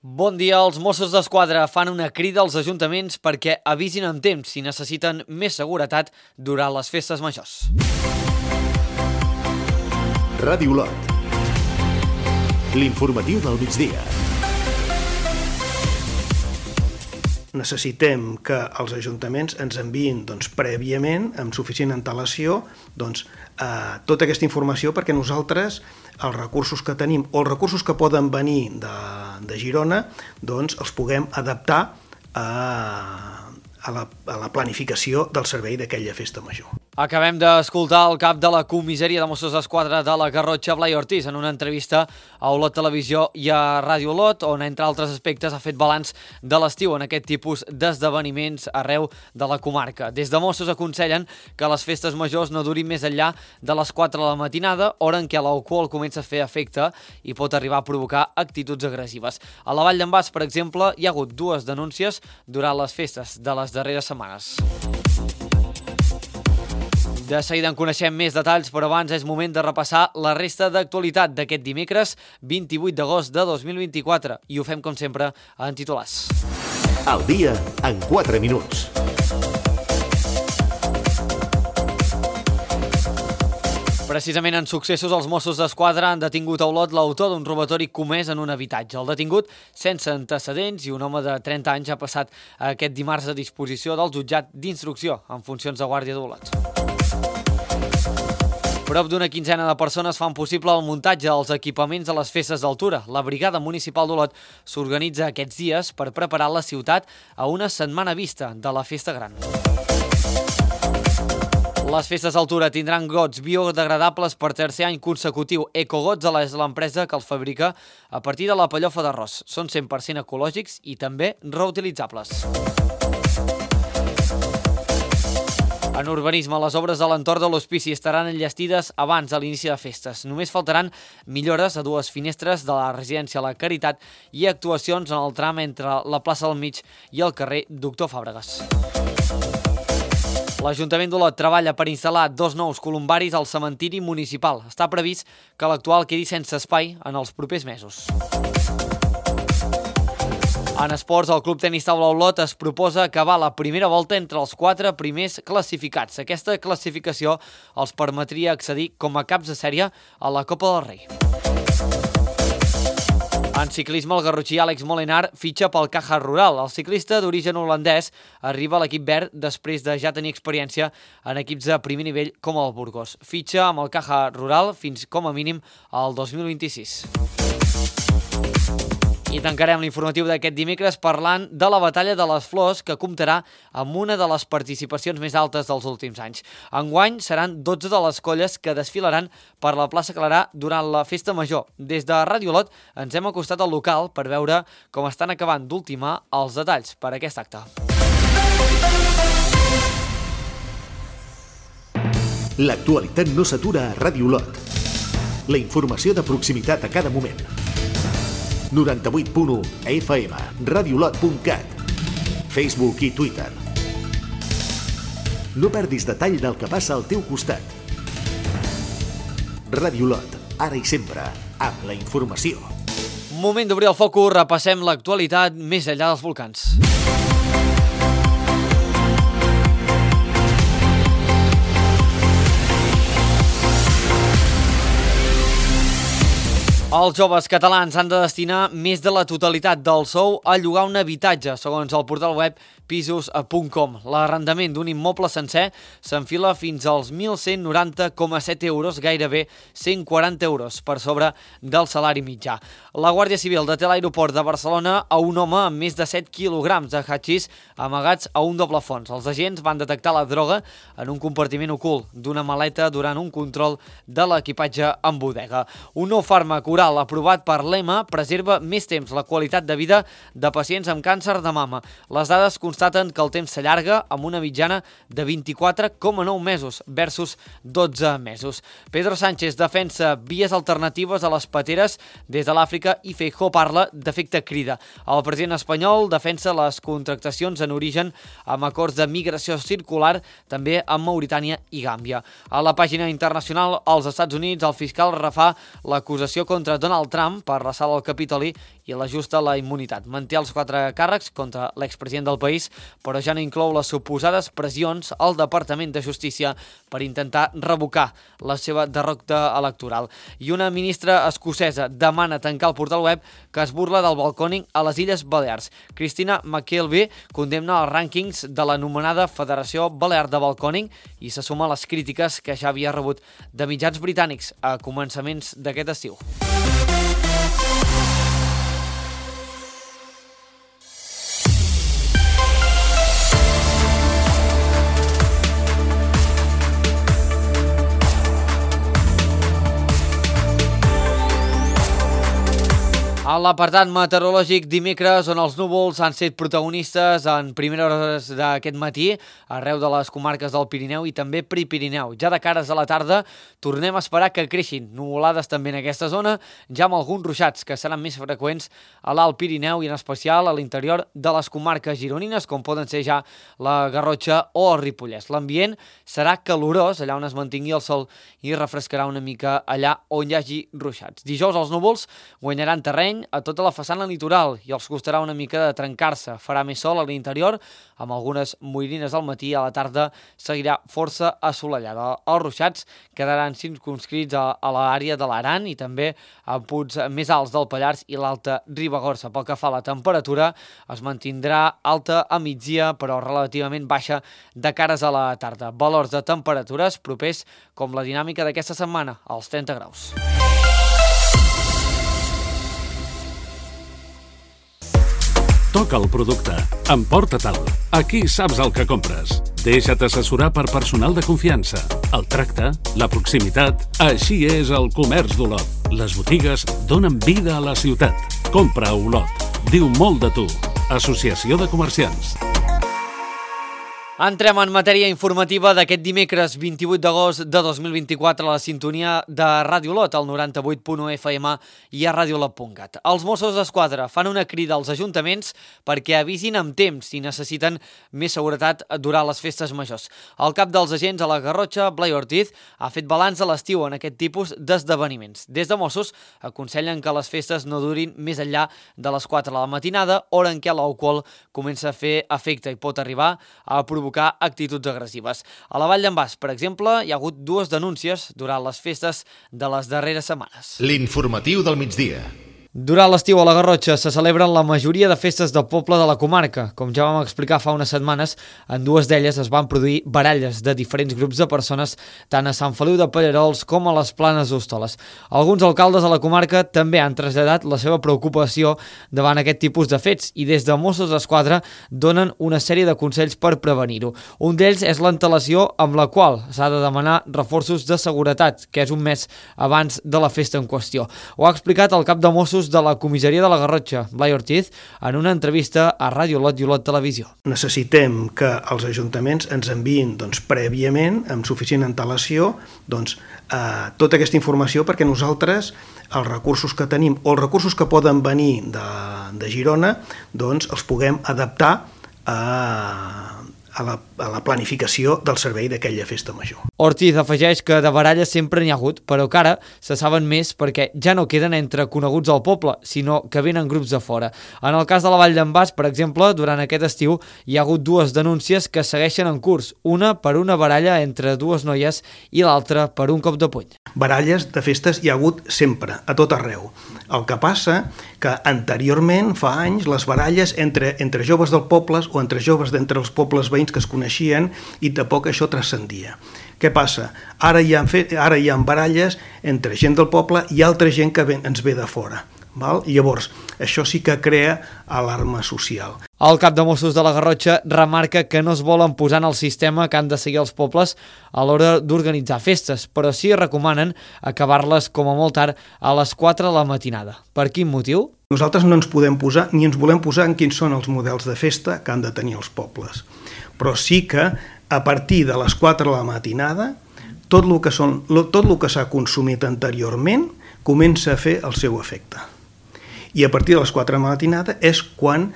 Bon dia, els Mossos d'Esquadra fan una crida als ajuntaments perquè avisin amb temps si necessiten més seguretat durant les festes majors. Ràdio Lot. L'informatiu del migdia. Necessitem que els ajuntaments ens enviïn prèviament, amb suficient antelació, tota aquesta informació perquè nosaltres els recursos que tenim o els recursos que poden venir de Girona els puguem adaptar a la planificació del servei d'aquella festa major. Acabem d'escoltar el cap de la comissaria de Mossos d'Esquadra de la Garrotxa, Blai Ortiz, en una entrevista a Olot Televisió i a Ràdio Olot, on, entre altres aspectes, ha fet balanç de l'estiu en aquest tipus d'esdeveniments arreu de la comarca. Des de Mossos aconsellen que les festes majors no durin més enllà de les 4 de la matinada, hora en què l'alcohol comença a fer efecte i pot arribar a provocar actituds agressives. A la Vall d'en Bas, per exemple, hi ha hagut 2 denúncies durant les festes de les darreres setmanes. De seguida en coneixem més detalls, però abans és moment de repassar la resta d'actualitat d'aquest dimecres 28 d'agost de 2024 i ho fem com sempre en titulars. El dia en 4 minuts. Precisament en successos, els Mossos d'Esquadra han detingut a Olot l'autor d'un robatori comès en un habitatge. El detingut, sense antecedents i un home de 30 anys, ha passat aquest dimarts a disposició del jutjat d'instrucció en funcions de guàrdia d'Olot. Prop d'una quinzena de persones fan possible el muntatge dels equipaments de les festes d'altura. La Brigada Municipal d'Olot s'organitza aquests dies per preparar la ciutat a una setmana vista de la Festa Gran. Les festes d'altura tindran gots biodegradables per tercer any consecutiu. Ecogots és l'empresa que els fabrica a partir de la pellofa d'arròs. Són 100% ecològics i també reutilitzables. En urbanisme, les obres de l'entorn de l'hospici estaran enllestides abans de l'inici de festes. Només faltaran millores a 2 finestres de la residència La Caritat i actuacions en el tram entre la plaça del Mig i el carrer Doctor Fàbregas. L'Ajuntament d'Olot treballa per instal·lar 2 nous columbaris al cementiri municipal. Està previst que l'actual quedi sense espai en els propers mesos. En esports, el Club Tenis Taula Olot es proposa acabar la primera volta entre els 4 primers classificats. Aquesta classificació els permetria accedir com a caps de sèrie a la Copa del Rei. En ciclisme, el garrotxí Àlex Molenar fitxa pel Caja Rural. El ciclista d'origen holandès arriba a l'equip verd després de ja tenir experiència en equips de primer nivell com el Burgos. Fitxa amb el Caja Rural fins com a mínim al 2026. I tancarem l'informatiu d'aquest dimecres parlant de la Batalla de les Flors, que comptarà amb una de les participacions més altes dels últims anys. Enguany seran 12 de les colles que desfilaran per la plaça Clarà durant la Festa Major. Des de Ràdio Olot ens hem acostat al local per veure com estan acabant d'ultimar els detalls per a aquest acte. L'actualitat no s'atura a Ràdio Olot. La informació de proximitat a cada moment. 98.1 FM, radiolot.cat, Facebook i Twitter. No perdis detall del que passa al teu costat. Ràdio Olot, ara i sempre, amb la informació. Moment d'obrir el focus, repassem l'actualitat més enllà dels volcans. Els joves catalans han de destinar més de la totalitat del sou a llogar un habitatge, segons el portal web pisos.com. L'arrendament d'un immoble sencer s'enfila fins als 1.190,7 euros, gairebé 140 euros per sobre del salari mitjà. La Guàrdia Civil deté a l'aeroport de Barcelona a un home amb més de 7 quilograms de hachís amagats a un doble fons. Els agents van detectar la droga en un compartiment ocult d'una maleta durant un control de l'equipatge en bodega. Un nou fàrmac oral aprovat per l'EMA preserva més temps la qualitat de vida de pacients amb càncer de mama. Les dades constaten que el temps s'allarga amb una mitjana de 24,9 mesos versus 12 mesos. Pedro Sánchez defensa vies alternatives a les pateres des de l'Àfrica i Feijóo parla d'efecte crida. El president espanyol defensa les contractacions en origen amb acords de migració circular també amb Mauritània i Gàmbia. A la pàgina internacional, als Estats Units, el fiscal refà l'acusació contra Donald Trump per l'assalt al Capitoli i l'ajusta a la immunitat. Manté els 4 càrrecs contra l'expresident del país, però ja no inclou les suposades pressions al Departament de Justícia per intentar revocar la seva derrota electoral. I una ministra escocesa demana tancar el portal web que es burla del balcòning a les Illes Balears. Christina McKelvey condemna els rànquings de l'anomenada Federació Balear de Balcòning i se suma a les crítiques que ja havia rebut de mitjans britànics a començaments d'aquest estiu. A l'apartat meteorològic dimecres, on els núvols han set protagonistes en primeres hores d'aquest matí arreu de les comarques del Pirineu i també Prepirineu. Ja de cares a la tarda tornem a esperar que creixin nuvolades també en aquesta zona, ja amb alguns ruixats que seran més freqüents a l'Alt Pirineu i en especial a l'interior de les comarques gironines, com poden ser ja la Garrotxa o el Ripollès. L'ambient serà calorós allà on es mantingui el sol i refrescarà una mica allà on hi hagi ruixats. Dijous els núvols guanyaran terreny a tota la façana litoral i els costarà una mica de trencar-se. Farà més sol a l'interior, amb algunes moirines al matí, a la tarda seguirà força assolellada. Els ruixats quedaran circumscrits a l'àrea de l'Aran i també a punts més alts del Pallars i l'Alta Ribagorça. Pel que fa a la temperatura, es mantindrà alta a migdia, però relativament baixa de cares a la tarda. Valors de temperatures propers com la dinàmica d'aquesta setmana, als 30 graus. Toca el producte. Emporta-te'l. Aquí saps el que compres. Deixa't assessorar per personal de confiança. El tracte, la proximitat, així és el comerç d'Olot. Les botigues donen vida a la ciutat. Compra a Olot. Diu molt de tu. Associació de Comerciants. Entrem en matèria informativa d'aquest dimecres 28 d'agost de 2024 a la sintonia de Ràdio Olot, al 98.1 FM i a radiolot.cat. Els Mossos d'Esquadra fan una crida als ajuntaments perquè avisin amb temps si necessiten més seguretat durant les festes majors. El cap dels agents a la Garrotxa, Blai Ortiz, ha fet balanç a l'estiu en aquest tipus d'esdeveniments. Des de Mossos aconsellen que les festes no durin més enllà de les 4 de la matinada, hora en què l'alcohol comença a fer efecte i pot arribar a provocar actituds agressives. A la Vall d'en Bas, per exemple, hi ha hagut 2 denúncies durant les festes de les darreres setmanes. L'informatiu del migdia. Durant l'estiu a la Garrotxa se celebren la majoria de festes del poble de la comarca. Com ja vam explicar fa unes setmanes, en 2 d'elles es van produir baralles de diferents grups de persones tant a Sant Feliu de Pallerols com a les Planes d'Hostoles. Alguns alcaldes de la comarca també han traslladat la seva preocupació davant aquest tipus de fets i des de Mossos d'Esquadra donen una sèrie de consells per prevenir-ho. Un d'ells és l'antelació amb la qual s'ha de demanar reforços de seguretat, que és un mes abans de la festa en qüestió. Ho ha explicat el cap de Mossos de la comissaria de la Garrotxa, Blai Ortiz, en una entrevista a Ràdio Olot i Olot Televisió. Necessitem que els ajuntaments ens enviïn prèviament, amb suficient antelació, tota aquesta informació perquè nosaltres els recursos que tenim o els recursos que poden venir de Girona els puguem adaptar a la planificació del servei d'aquella festa major. Ortiz afegeix que de baralles sempre n'hi ha hagut, però que ara se saben més perquè ja no queden entre coneguts al poble, sinó que venen grups de fora. En el cas de la Vall d'en Bas, per exemple, durant aquest estiu hi ha hagut 2 denúncies que segueixen en curs, una per una baralla entre 2 noies i l'altra per un cop de puny. Baralles de festes hi ha hagut sempre, a tot arreu. El que passa que anteriorment, fa anys, les baralles entre joves del poble o entre joves d'entre els pobles veïns que es coneixien i tampoc això transcendia. Què passa? Ara hi ha baralles entre gent del poble i altra gent que ens ve de fora. Llavors, això sí que crea alarma social. El cap de Mossos de la Garrotxa remarca que no es volen posar en el sistema que han de seguir els pobles a l'hora d'organitzar festes, però sí recomanen acabar-les com a molt tard a les 4 de la matinada. Per quin motiu? Nosaltres no ens podem posar, ni ens volem posar en quins són els models de festa que han de tenir els pobles. Però sí que a partir de les 4 de la matinada tot el que s'ha consumit anteriorment comença a fer el seu efecte. I a partir de les 4 de la matinada és quan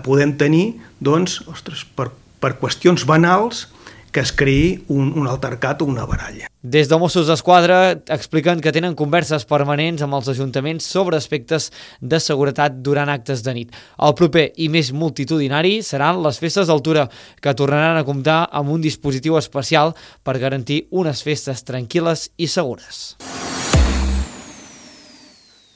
podem tenir, per qüestions banals, que es creï un altercat o una baralla. Des de Mossos d'Esquadra expliquen que tenen converses permanents amb els ajuntaments sobre aspectes de seguretat durant actes de nit. El proper i més multitudinari seran les festes d'altura, que tornaran a comptar amb un dispositiu especial per garantir unes festes tranquil·les i segures.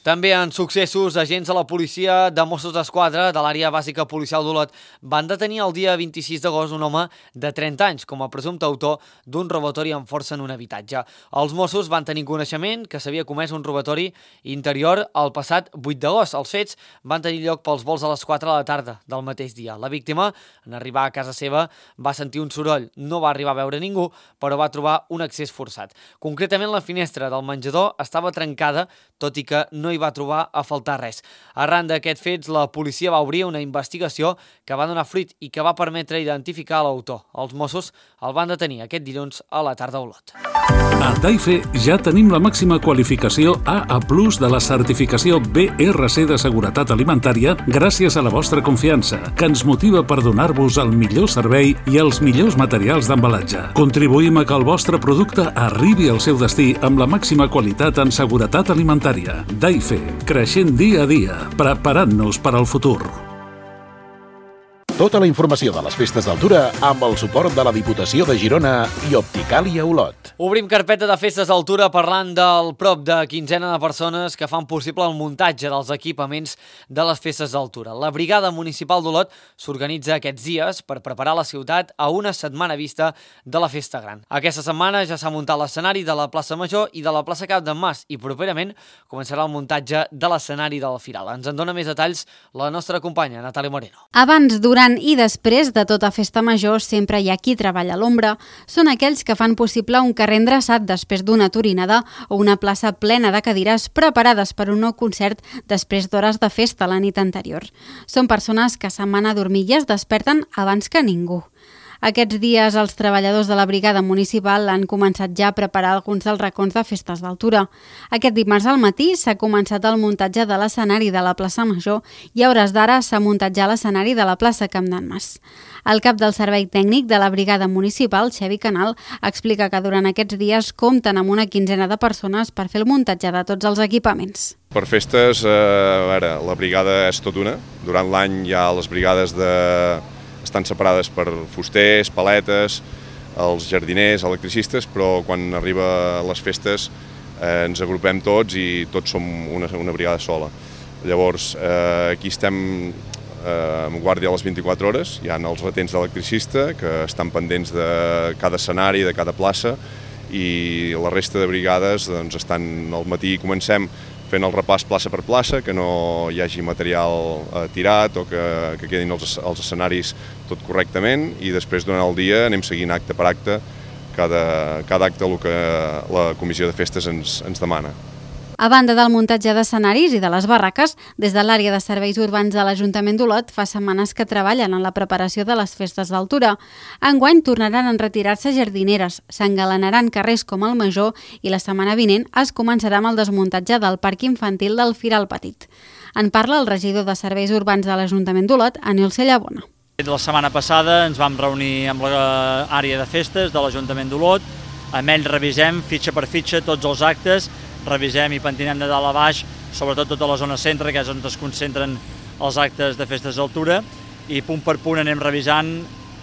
També en successos, agents de la policia de Mossos d'Esquadra de l'àrea bàsica policial d'Olot van detenir el dia 26 d'agost un home de 30 anys com a presumpte autor d'un robatori amb força en un habitatge. Els Mossos van tenir coneixement que s'havia comès un robatori interior el passat 8 d'agost. Els fets van tenir lloc pels volts a les 4 de la tarda del mateix dia. La víctima, en arribar a casa seva, va sentir un soroll. No va arribar a veure ningú, però va trobar un accés forçat. Concretament, la finestra del menjador estava trencada, tot i que no hi va trobar a faltar res. Arran d'aquests fets, la policia va obrir una investigació que va donar fruit i que va permetre identificar l'autor. Els Mossos el van detenir aquest dilluns a la tarda a Olot. A Daife ja tenim la màxima qualificació AA+ de la certificació BRC de seguretat alimentària gràcies a la vostra confiança, que ens motiva per donar-vos el millor servei i els millors materials d'embalatge. Contribuïm a que el vostre producte arribi al seu destí amb la màxima qualitat en seguretat alimentària. Daife, creixent dia a dia, preparant-nos per al futur. Tota la informació de les festes d'altura amb el suport de la Diputació de Girona i Opticàlia Olot. Obrim carpeta de festes d'altura parlant del prop de quinzena de persones que fan possible el muntatge dels equipaments de les festes d'altura. La Brigada Municipal d'Olot s'organitza aquests dies per preparar la ciutat a una setmana vista de la Festa Gran. Aquesta setmana ja s'ha muntat l'escenari de la plaça Major i de la plaça Cap d'en Mas i properament començarà el muntatge de l'escenari del Firal. Ens en dona més detalls la nostra companya Natàlia Moreno. Abans, durant i després de tota festa major sempre hi ha qui treballa a l'ombra. Són aquells que fan possible un carrer endreçat després d'una turinada o una plaça plena de cadires preparades per un nou concert després d'hores de festa la nit anterior. Són persones que se'n van a dormir i es desperten abans que ningú. Aquests dies els treballadors de la Brigada Municipal han començat ja a preparar alguns dels racons de festes d'altura. Aquest dimarts al matí s'ha començat el muntatge de l'escenari de la plaça Major i a hores d'ara s'ha muntat ja l'escenari de la plaça Camp d'en Mas. El cap del servei tècnic de la Brigada Municipal, Xavi Canal, explica que durant aquests dies compten amb una quinzena de persones per fer el muntatge de tots els equipaments. Per festes, la brigada és tot una. Durant l'any hi ha les brigades estan separades per fusters, paletes, els jardiners, electricistes, però quan arriba les festes ens agrupem tots i tots som una brigada sola. Llavors, aquí estem amb guàrdia a les 24 hores, hi ha els retents d'electricista que estan pendents de cada escenari, de cada plaça, i la resta de brigades estan al matí, comencem fent el repàs plaça per plaça, que no hi hagi material tirat o que quedin els escenaris tot correctament, i després durant el dia anem seguint acte per acte cada acte el que la comissió de festes ens demana. A banda del muntatge d'escenaris i de les barraques, des de l'àrea de serveis urbans de l'Ajuntament d'Olot fa setmanes que treballen en la preparació de les festes d'altura. Enguany tornaran a retirar-se jardineres, s'engalanaran carrers com el Major i la setmana vinent es començarà amb el desmuntatge del parc infantil del Firal Petit. En parla el regidor de Serveis Urbans de l'Ajuntament d'Olot, Anil Cellabona. La setmana passada ens vam reunir amb l'àrea de festes de l'Ajuntament d'Olot, amb ells revisem fitxa per fitxa tots els actes, revisem i pentinem de dalt a baix, sobretot tota la zona centre, que és on es concentren els actes de festes d'altura, i punt per punt anem revisant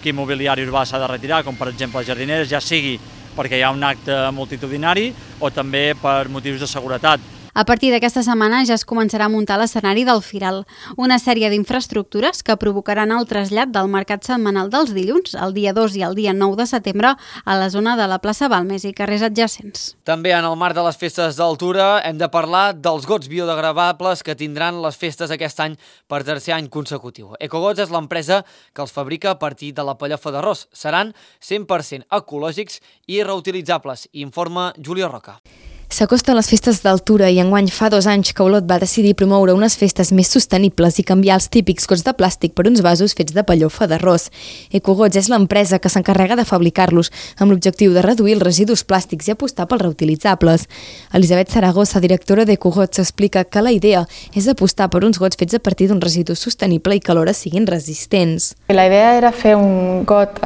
quin mobiliari urbà s'ha de retirar, com per exemple les jardineres, ja sigui perquè hi ha un acte multitudinari o també per motius de seguretat. A partir d'aquesta setmana ja es començarà a muntar l'escenari del Firal, una sèrie d'infraestructures que provocaran el trasllat del mercat setmanal dels dilluns, el dia 2 i el dia 9 de setembre, a la zona de la plaça Balmes i carrers adjacents. També en el marc de les festes d'altura hem de parlar dels gots biodegradables que tindran les festes aquest any per tercer any consecutiu. Ecogots és l'empresa que els fabrica a partir de la pellofa d'arròs. Seran 100% ecològics i reutilitzables, informa Júlia Roca. S'acosten les festes d'altura i enguany fa 2 anys que Olot va decidir promoure unes festes més sostenibles i canviar els típics gots de plàstic per uns vasos fets de pellofa d'arròs. Ecogots és l'empresa que s'encarrega de fabricar-los amb l'objectiu de reduir els residus plàstics i apostar pels reutilitzables. Elisabet Saragossa, directora d'Ecogots, explica que la idea és apostar per uns gots fets a partir d'un residu sostenible i que alhora siguin resistents. La idea era fer un got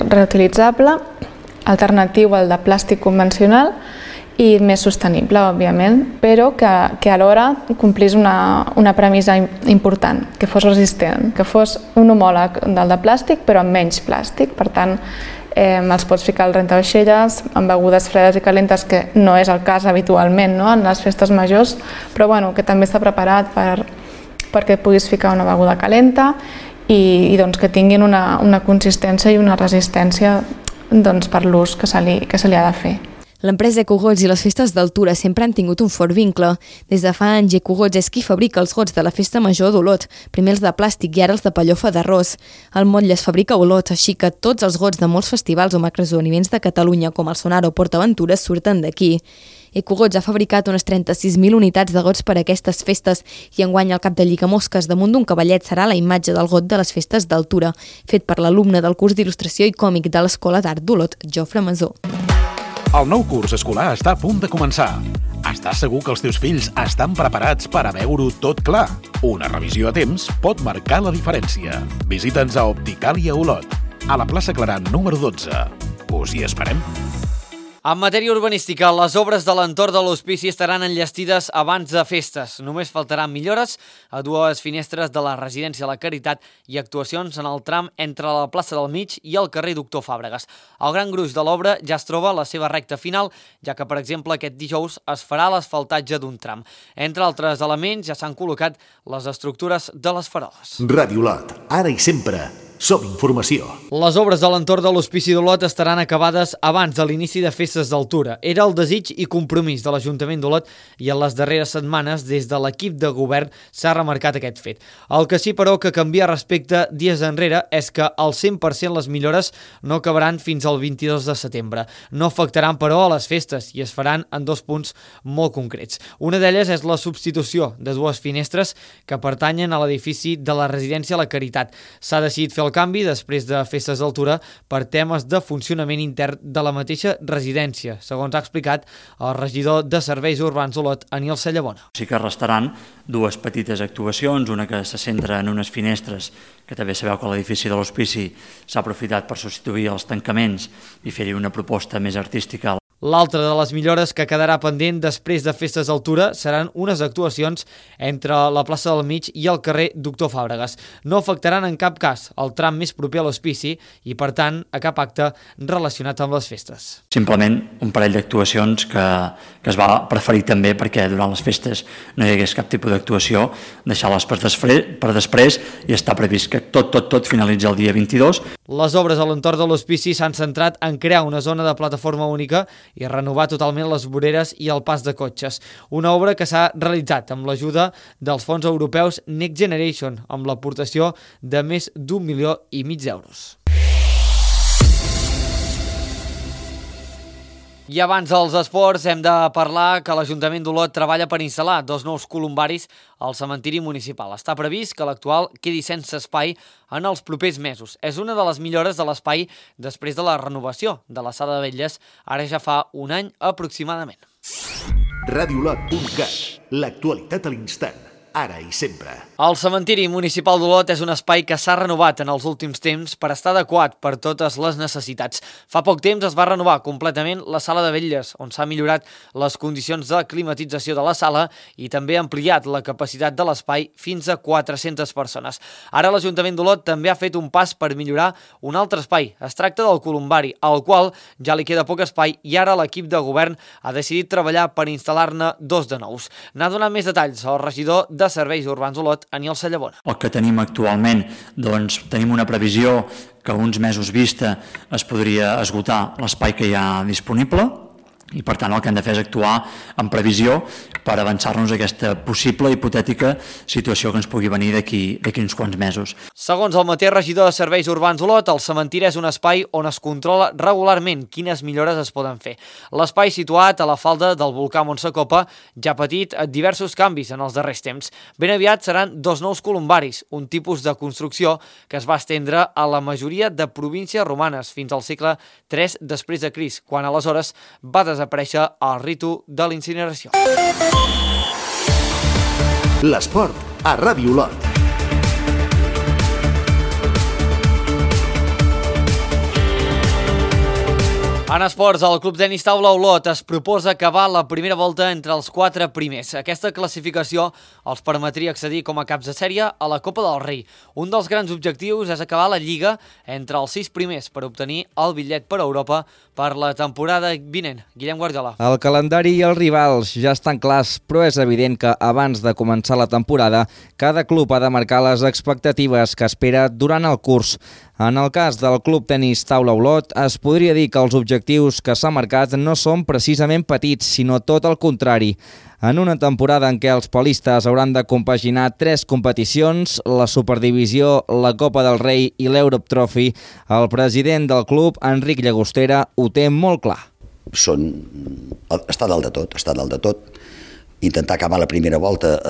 reutilitzable alternatiu al de plàstic convencional i més sostenible, òbviament, però que alhora complís una premissa important, que fos resistent, que fos un homòleg del de plàstic però amb menys plàstic. Per tant, els pots ficar al rentavaixelles amb begudes fredes i calentes, que no és el cas habitualment, no?, en les festes majors, però bueno, que també està preparat perquè puguis ficar una beguda calenta i doncs, que tinguin una consistència i una resistència doncs, per l'ús que se li ha de fer. L'empresa Ecogots i les festes d'Altura sempre han tingut un fort vincle. Des de fa anys, Ecogots és qui fabrica els gots de la festa major d'Olot, primer els de plàstic i ara els de pellofa d'arròs. El motlle es fabrica a Olot, així que tots els gots de molts festivals o macroesdeveniments de Catalunya, com el Sonar o PortAventura, surten d'aquí. Ecogots ha fabricat unes 36.000 unitats de gots per a aquestes festes i enguany el cap de Llicamosques damunt d'un cavallet serà la imatge del got de les festes d'Altura, fet per l'alumne del curs d'il·lustració i còmic de l'Escola d'Art d'Olot, Jofre Masó. El nou curs escolar està a punt de començar. Estàs segur que els teus fills estan preparats per a veure-ho tot clar? Una revisió a temps pot marcar la diferència. Visita'ns a Opticàlia Olot, a la plaça Clarà número 12. Us hi esperem. En matèria urbanística, les obres de l'entorn de l'hospici estaran enllestides abans de festes. Només faltaran millores a dues finestres de la residència La Caritat i actuacions en el tram entre la plaça del Mig i el carrer Doctor Fàbregas. El gran gruix de l'obra ja es troba a la seva recta final, ja que, per exemple, aquest dijous es farà l'asfaltatge d'un tram. Entre altres elements, ja s'han col·locat les estructures de les faroles. Ràdio Olot, ara i sempre. Som informació. Les obres de l'entorn de l'Hospici d'Olot estaran acabades abans de l'inici de festes d'Altura. Era el desig i compromís de l'Ajuntament d'Olot i en les darreres setmanes, des de l'equip de govern, s'ha remarcat aquest fet. El que sí, però, que canvia respecte dies enrere és que al 100% les millores no acabaran fins al 22 de setembre. No afectaran, però, a les festes i es faran en dos punts molt concrets. Una d'elles és la substitució de dues finestres que pertanyen a l'edifici de la residència La Caritat. S'ha decidit fer el canvi després de festes d'Altura per temes de funcionament intern de la mateixa residència, segons ha explicat el regidor de Serveis Urbans d'Olot, Aniol Sallabona. Sí que restaran dues petites actuacions, una que se centra en unes finestres, que també sabeu que l'edifici de l'Hospici s'ha aprofitat per substituir els tancaments i fer-hi una proposta més artística. L'altra de les millores que quedarà pendent després de festes d'Altura seran unes actuacions entre la plaça del Mig i el carrer Doctor Fàbregas. No afectaran en cap cas el tram més proper a l'hospici i, per tant, a cap acte relacionat amb les festes. Simplement un parell d'actuacions que es va preferir també perquè durant les festes no hi hagués cap tipus d'actuació, deixar-les per després i està previst que tot finalitzi el dia 22. Les obres a l'entorn de l'hospici s'han centrat en crear una zona de plataforma única i renovar totalment les voreres i el pas de cotxes. Una obra que s'ha realitzat amb l'ajuda dels fons europeus Next Generation, amb l'aportació de més d'1,5 milions d'euros. I abans dels esports hem de parlar que l'Ajuntament d'Olot treballa per instal·lar dos nous columbaris al cementiri municipal. Està previst que l'actual quedi sense espai en els propers mesos. És una de les millores de l'espai després de la renovació de la Sala de Vetlles, ara ja fa un any aproximadament. Radiolot.cat, l'actualitat a l'instant. Ara i sempre. El cementiri municipal d'Olot és un espai que s'ha renovat en els últims temps per estar adequat per totes les necessitats. Fa poc temps es va renovar completament la Sala de Vetlles, on s'ha millorat les condicions de climatització de la sala i també ha ampliat la capacitat de l'espai fins a 400 persones. Ara l'Ajuntament d'Olot també ha fet un pas per millorar un altre espai. Es tracta del columbari, al qual ja li queda poc espai i ara l'equip de govern ha decidit treballar per instal·lar-ne dos de nous. N'ha donat més detalls el regidor de Serveis Urbans d'Olot, Aniol Sallabona. El que tenim actualment, doncs tenim una previsió que uns mesos vista es podria esgotar l'espai que hi ha disponible i per tant el que hem de fer és actuar en previsió per avançar-nos a aquesta possible hipotètica situació que ens pugui venir d'aquí uns quants mesos. Segons el mateix regidor de Serveis Urbans d'Olot, el cementiri és un espai on es controla regularment quines millores es poden fer. L'espai situat a la falda del volcà Montsacopa ja ha patit diversos canvis en els darrers temps. Ben aviat seran dos nous columbaris, un tipus de construcció que es va estendre a la majoria de províncies romanes fins al segle III després de Crist, quan aleshores va desaparèixer el ritu de l'incineració. L'esport a Ràdio Olot. En esports, el Club Tenis Taula Olot es proposa acabar la primera volta entre els 4 primers. Aquesta classificació els permetria accedir com a caps de sèrie a la Copa del Rei. Un dels grans objectius és acabar la Lliga entre els 6 primers per obtenir el bitllet per a Europa per la temporada vinent. Guillem Guardiola. El calendari i els rivals ja estan clars, però és evident que abans de començar la temporada, cada club ha de marcar les expectatives que espera durant el curs. En el cas del Club Tenis Taula Olot, es podria dir que els objectius que s'ha marcat no són precisament petits, sinó tot el contrari. En una temporada en què els polistes hauran de compaginar 3 competicions, la Superdivisió, la Copa del Rei i l'Europe Trophy, el president del club, Enric Llagostera, ho té molt clar. Està dalt de tot. Intentar acabar la primera volta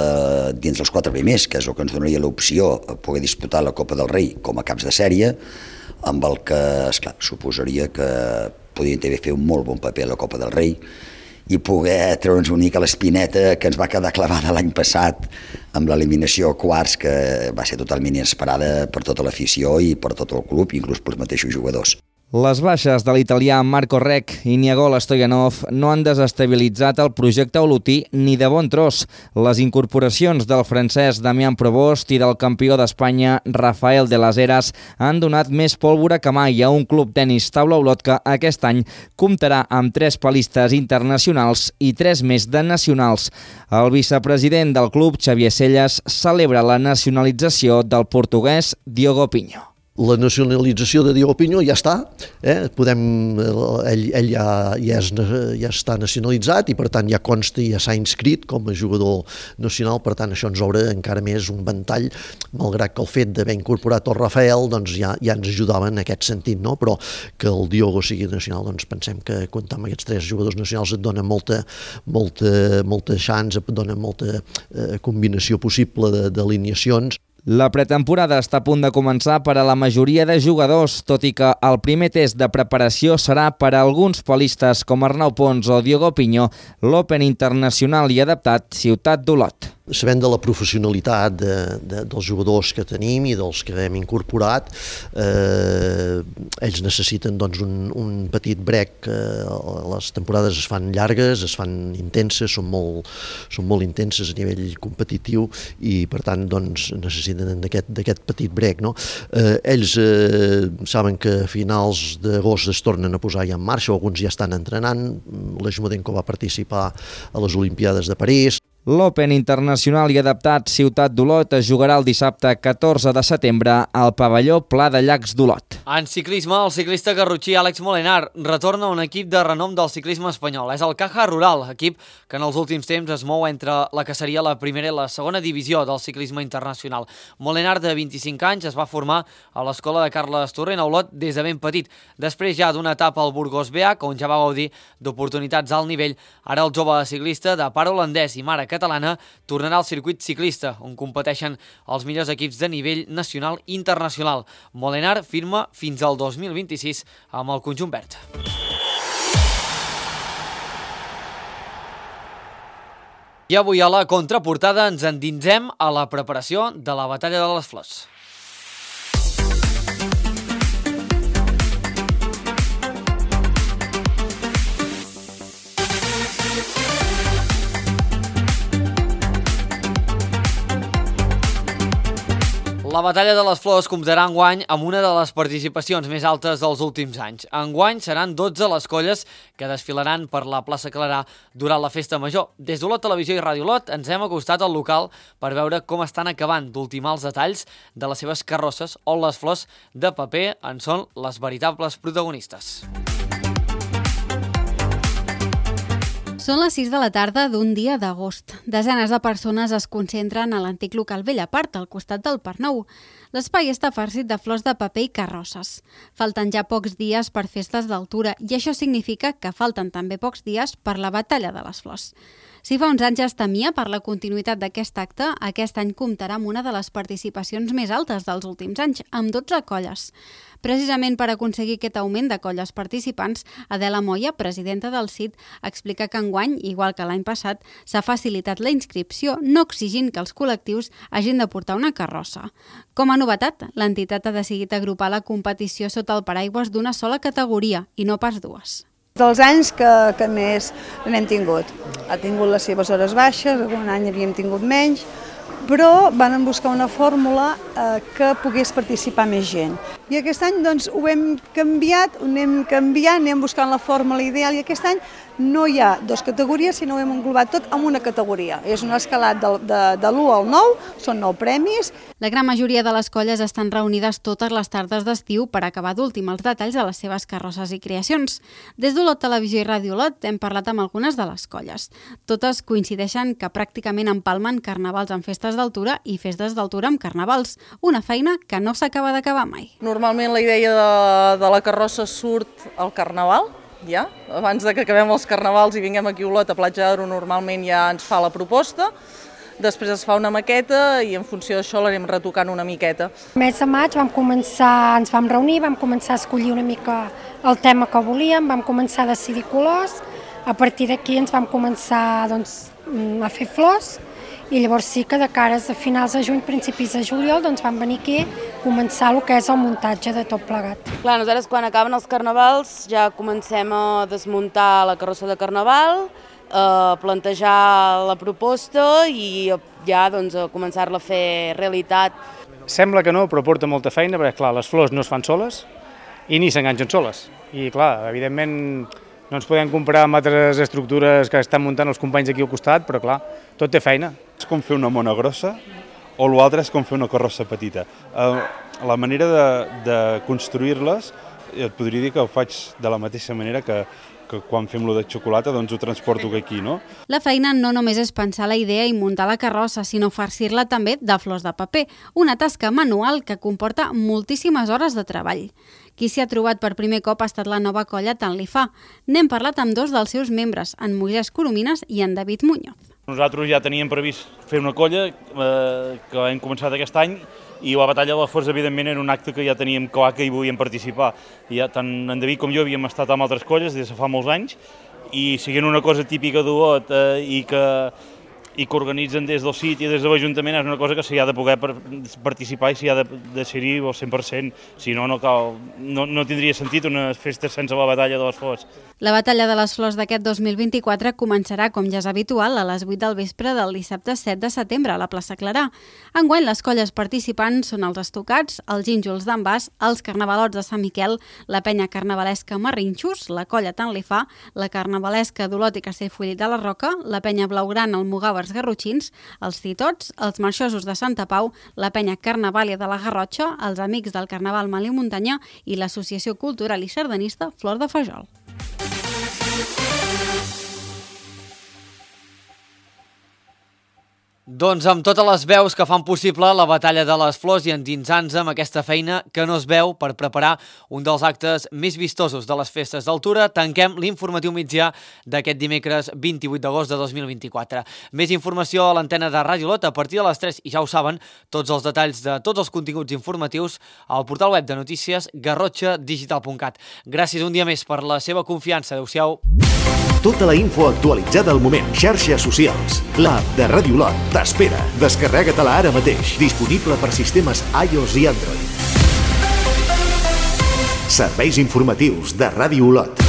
dins els 4 primers, que és el que ens donaria l'opció a poder disputar la Copa del Rei com a caps de sèrie, amb el que, esclar, suposaria que podrien també fer un molt bon paper a la Copa del Rei i poder treure'ns una mica l'espineta que ens va quedar clavada l'any passat amb l'eliminació a quarts, que va ser totalment inesperada per tota l'afició i per tot el club, inclús pels mateixos jugadors. Les baixes de l'italià Marco Rec i Niagol Stoyanov no han desestabilitzat el projecte olotí ni de bon tros. Les incorporacions del francès Damián Provost i del campió d'Espanya Rafael de las Heras han donat més pólvora que mai a un Club Tenis Taula Olot que aquest any comptarà amb 3 palistes internacionals i 3 més de nacionals. El vicepresident del club, Xavier Selles, celebra la nacionalització del portuguès Diogo Pinho. La nacionalització de Diogo Pinho ja està, ell ja està nacionalitzat i per tant ja consta i ja s'ha inscrit com a jugador nacional, per tant això ens obre encara més un ventall, malgrat que el fet d'haver incorporat el Rafael doncs ja ens ajudava en aquest sentit, no? Però que el Diogo sigui nacional, doncs pensem que comptar amb aquests 3 jugadors nacionals et dona molta chance, et dona molta combinació possible d'alineacions. La pretemporada està a punt de començar per a la majoria de jugadors, tot i que el primer test de preparació serà per a alguns polistes com Arnau Pons o Diogo Pinho, l'Open internacional i adaptat Ciutat d'Olot. Sabent de la professionalitat dels jugadors que tenim i dels que hem incorporat, ells necessiten doncs, un petit break. Les temporades es fan llargues, es fan intenses, són molt intenses a nivell competitiu i per tant doncs, necessiten d'aquest petit break. No? Ells saben que a finals d'agost es tornen a posar ja en marxa, alguns ja estan entrenant, l'Ajumadenco va participar a les Olimpiades de París. L'Open internacional i adaptat Ciutat d'Olot es jugarà el dissabte 14 de setembre al pavelló Pla de Llacs d'Olot. En ciclisme, el ciclista garrotxí Àlex Molenar retorna a un equip de renom del ciclisme espanyol. És el Caja Rural, equip que en els últims temps es mou entre la que seria la primera i la segona divisió del ciclisme internacional. Molenar, de 25 anys, es va formar a l'escola de Carles Torrent a Olot des de ben petit. Després ja d'una etapa al Burgos BH, on ja va gaudir d'oportunitats al nivell, ara el jove ciclista de pare holandès i mare catalana tornarà al circuit ciclista, on competeixen els millors equips de nivell nacional i internacional. Molenar firma fins al 2026 amb el conjunt verd. I avui a la contraportada ens endinsem a la preparació de la Batalla de les Flors. La Batalla de les Flors comptarà enguany amb una de les participacions més altes dels últims anys. Enguany seran 12 les colles que desfilaran per la plaça Clarà durant la Festa Major. Des d'Olot Televisió i Ràdio Olot ens hem acostat al local per veure com estan acabant d'ultimar els detalls de les seves carrosses, on les flors de paper en són les veritables protagonistes. Són les 6 de la tarda d'un dia d'agost. Desenes de persones es concentren a l'antic local Bellapart, al costat del Parc Nou. L'espai està farcit de flors de paper i carrosses. Falten ja pocs dies per festes d'altura i això significa que falten també pocs dies per la Batalla de les Flors. Si fa uns anys es temia per la continuïtat d'aquest acte, aquest any comptarà amb una de les participacions més altes dels últims anys, amb 12 colles. Precisament per aconseguir aquest augment de colles participants, Adela Moya, presidenta del CIT, explica que enguany, igual que l'any passat, s'ha facilitat la inscripció, no exigint que els col·lectius hagin de portar una carrossa. Com a novetat, l'entitat ha decidit agrupar la competició sota el paraigües d'una sola categoria i no pas dues. Dels anys que més n'hem tingut. Ha tingut les seves hores baixes, algun any havíem tingut menys, però van buscar una fórmula que pogués participar més gent. I aquest any doncs, ho hem canviat, ho anem canviant, anem buscant la fórmula ideal i aquest any no hi ha dues categories, sinó ho hem englobat tot en una categoria. És un escalat de l'1 al 9, són 9 premis. La gran majoria de les colles estan reunides totes les tardes d'estiu per acabar d'últim els detalls de les seves carrosses i creacions. Des d'Olot Televisió i Ràdio Olot hem parlat amb algunes de les colles. Totes coincideixen que pràcticament empalmen carnavals amb festes d'altura i festes d'altura amb carnavals, una feina que no s'acaba d'acabar mai. Normalment la idea de la carrossa surt al carnaval, ja. Abans de que acabem els carnavals i vinguem aquí a Olot, a Platja d'Aro, normalment ja ens fa la proposta, després es fa una maqueta i en funció d'això l'anem retocant una miqueta. El mes de maig ens vam reunir, vam començar a escollir una mica el tema que volíem, vam començar a decidir colors, a partir d'aquí ens vam començar a fer flors i llavors sí que de cares a finals de juny, principis de juliol, vam venir aquí a començar el que és el muntatge de tot plegat. Clar, nosaltres quan acaben els carnavals ja comencem a desmuntar la carrossa de carnaval, a plantejar la proposta i ja a començar-la a fer realitat. Sembla que no, però porta molta feina, perquè clar, les flors no es fan soles i ni s'enganxen soles. I clar, evidentment no ens podem comparar amb altres estructures que estan muntant els companys aquí al costat, però clar, tot té feina. És com fer una mona grossa o l'altre és com fer una carrossa petita. La manera de construir-les, et podria dir que ho faig de la mateixa manera que quan fem lo de xocolata, doncs ho transporto aquí, no? La feina no només és pensar la idea i muntar la carrossa, sinó farcir-la també de flors de paper, una tasca manual que comporta moltíssimes hores de treball. Qui s'hi ha trobat per primer cop ha estat la nova colla Tant li fa. N'hem parlat amb dos dels seus membres, en Moisès Coromines i en David Muñoz. Nosaltres ja teníem previst fer una colla que hem començat aquest any i la batalla de les flors, evidentment, era un acte que ja teníem clar que hi volíem participar. I ja, tant en David com jo havíem estat amb altres colles des de fa molts anys i siguent una cosa típica d'Olot i que organitzen des del CIT i des de l'Ajuntament és una cosa que s'hi ha de poder participar i s'hi ha de ser-hi al 100%. Si no, no tindria sentit una festa sense la batalla de les flors. La batalla de les flors d'aquest 2024 començarà, com ja és habitual, a les 8 del vespre del dissabte 7 de setembre a la plaça Clarà. Enguany, les colles participants són els Estocats, els Gínjols d'en Bas, els Carnavalots de Sant Miquel, la penya carnavalesca Marrinxos, la colla Tant li fa, la carnavalesca d'Olot i Castellfollit de la Roca, la penya blaugrana Almogàvers Garrotxins, els Titots, els Marxosos de Santa Pau, la penya Carnavàlia de la Garrotxa, els Amics del Carnaval Malí Muntanya i l'Associació Cultural i Sardanista Flor de Fajol. Doncs amb totes les veus que fan possible la batalla de les flors i endinsant-nos amb aquesta feina que no es veu per preparar un dels actes més vistosos de les festes d'altura, tanquem l'informatiu migdia d'aquest dimecres 28 d'agost de 2024. Més informació a l'antena de Ràdio Olot a partir de les 3 i ja ho saben, tots els detalls de tots els continguts informatius al portal web de notícies garrotxadigital.cat. Gràcies un dia més per la seva confiança. Adéu-siau. Tota la info actualitzada al moment. Xarxes socials. L'app de Ràdio Olot t'espera. Descarrega-te-la ara mateix. Disponible per sistemes iOS i Android. Serveis informatius de Ràdio Olot.